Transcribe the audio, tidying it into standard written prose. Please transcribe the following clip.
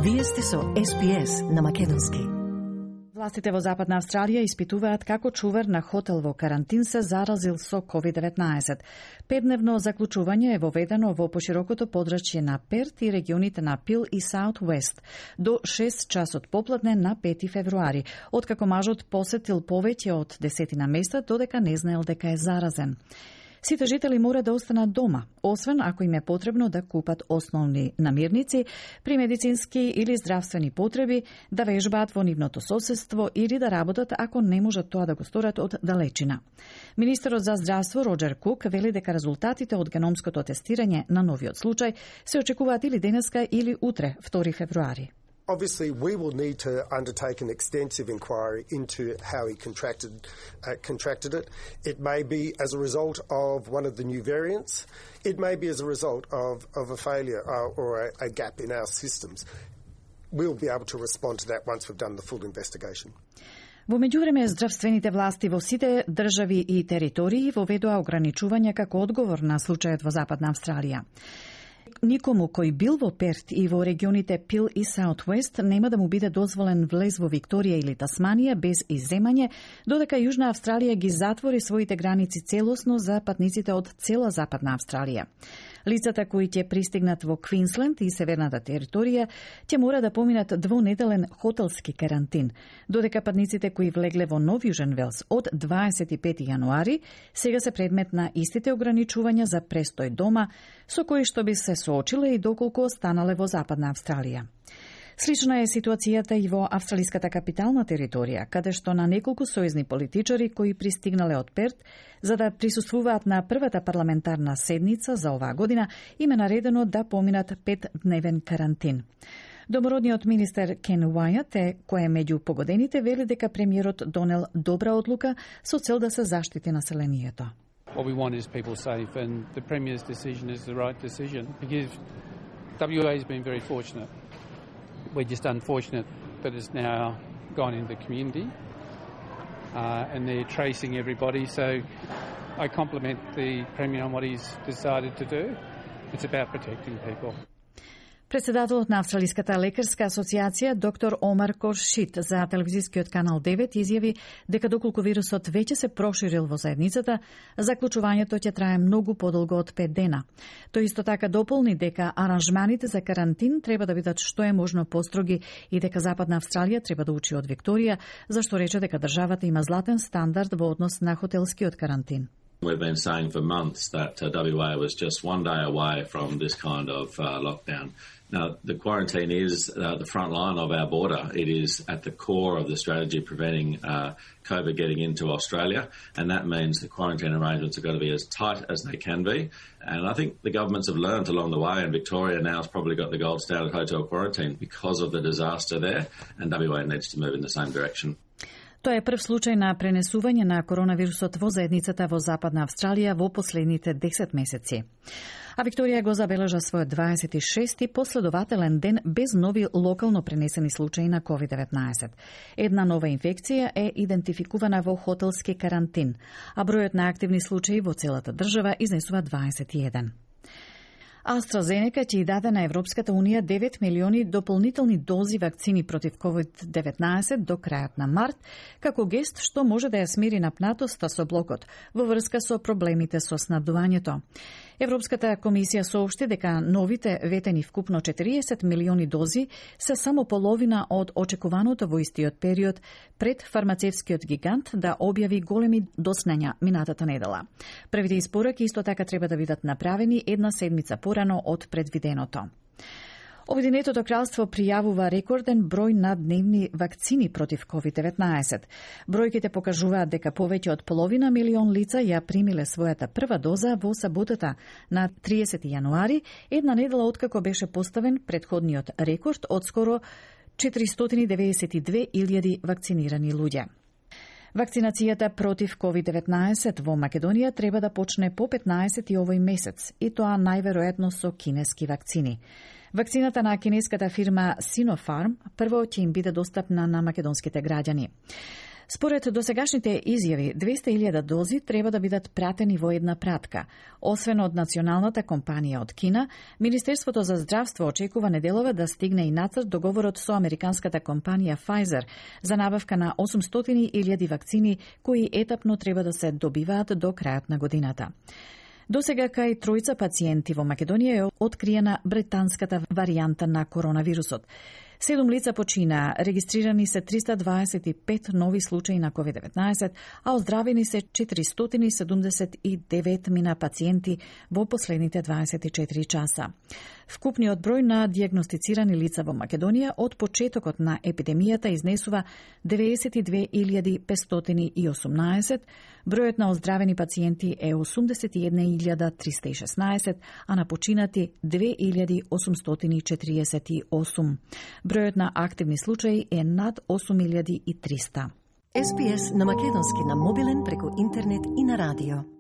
Вие сте со SPS на македонски. Властите во Западна Австралија испитуваат како чувар на хотел во карантин се заразил со COVID-19. 5-дневно заклучување е воведено во поширокото подрачје на Перт и регионите на Пил и Саут Уест до 6 часот попладне на 5 февруари, откако мажот посетил повеќе од 10 места додека не знаел дека е заразен. Сите жители мора да останат дома, освен ако им е потребно да купат основни намирници при медицински или здравствени потреби, да вежбаат во нивното соседство или да работат ако не можат тоа да го сторат од далечина. Министерот за здравство Роджер Кук вели дека резултатите од геномското тестирање на новиот случај се очекуваат или денеска или утре, 2 февруари. Obviously, we will need to undertake an extensive inquiry into how he contracted it. It may be as a result of one of the new variants. It may be as a result of a failure or a gap in our systems. We'll be able to respond to that once we've done the full investigation. Во меѓувреме, здравствените власти во сите држави и територии воведоа ограничувања како одговор на случајот во Западна Австралија. Никому кој бил во Перт и во регионите Пил и Саут Уест нема да му биде дозволен влез во Викторија или Тасманија без изземање, додека Јужна Австралија ги затвори своите граници целосно за патниците од цела Западна Австралија. Лицата кои ќе пристигнат во Квинсленд и северната територија ќе мора да поминат двонеделен хотелски карантин, додека патниците кои влегле во Нов Јужен Велс од 25 јануари сега се предмет на истите ограничувања за престој дома, со кои што би се соочиле и доколку останале во Западна Австралија. Слична е ситуацијата и во австралиската капитална територија, каде што на неколку сојузни политичари кои пристигнале од Перт за да присуствуваат на првата парламентарна седница за оваа година, им е наредено да поминат 5-дневен карантин. Домородниот министер Кен Уајат кој е меѓу погодените, вели дека премиерот донел добра одлука со цел да се заштити населението. What we want is people safe, and the Premier's decision is the right decision because WA has been very fortunate. We're just unfortunate that it's now gone into the community and they're tracing everybody. So I compliment the Premier on what he's decided to do. It's about protecting people. Председателот на Австралиската лекарска асоциација доктор Омар Коршит за телевизискиот канал 9 изјави дека доколку вирусот веќе се проширил во заедницата, заклучувањето ќе трае многу подолго од 5 дена. Тој исто така дополни дека аранжманите за карантин треба да бидат што е можно построги и дека Западна Австралија треба да учи од Викторија, зашто рече дека државата има златен стандард во однос на хотелскиот карантин. We've been saying for months that WA was just one day away from this kind of lockdown. Now, the quarantine is the front line of our border. It is at the core of the strategy preventing COVID getting into Australia, and that means the quarantine arrangements have got to be as tight as they can be. And I think the governments have learned along the way, and Victoria now has probably got the gold standard hotel quarantine because of the disaster there, and WA needs to move in the same direction. Тоа е прв случај на пренесување на коронавирусот во заедницата во Западна Австралија во последните 10 месеци. А Викторија го забележа својот 26-ти последователен ден без нови локално пренесени случаи на COVID-19. Една нова инфекција е идентификувана во хотелски карантин, а бројот на активни случаи во целата држава изнесува 21. AstraZeneca ќе даде на Европската Унија 9 милиони дополнителни дози вакцини против COVID-19 до крајот на март, како гест што може да ја смири напнатоста со блокот во врска со проблемите со снабдувањето. Европската комисија соопшти дека новите ветени вкупно 40 милиони дози се само половина од очекуваното во истиот период пред фармацевскиот гигант да објави големи доцнења минатата недела. Првите испораки исто така треба да бидат направени една седмица порано од предвиденото. Обединетото кралство пријавува рекорден број на дневни вакцини против COVID-19. Бројките покажуваат дека повеќе од половина милион лица ја примиле својата прва доза во саботата на 30 јануари, една недела откако беше поставен претходниот рекорд од скоро 492.000 вакцинирани луѓе. Вакцинацијата против COVID-19 во Македонија треба да почне по 15 овој месец, и тоа најверојатно со кинески вакцини. Вакцината на кинеската фирма Sinopharm прво ќе им биде достапна на македонските граѓани. Според досегашните изјави, 200.000 дози треба да бидат пратени во една пратка. Освен од националната компанија од Кина, Министерството за здравство очекува неделова да стигне и нацрт договорот со американската компанија Pfizer за набавка на 800.000 вакцини кои етапно треба да се добиваат до крајот на годината. Досега кај тројца пациенти во Македонија е откриена британската варијанта на коронавирусот. 7 лица почина, регистрирани се 325 нови случаи на COVID-19, а оздравени се 479 мина пациенти во последните 24 часа. Вкупниот број на дијагностицирани лица во Македонија од почетокот на епидемијата изнесува 92.518, бројот на оздравени пациенти е 81.316, а на починати 2.848. Бројот на активни случаи е над 8.300. SPS на македонски на мобилен преку интернет и на радио.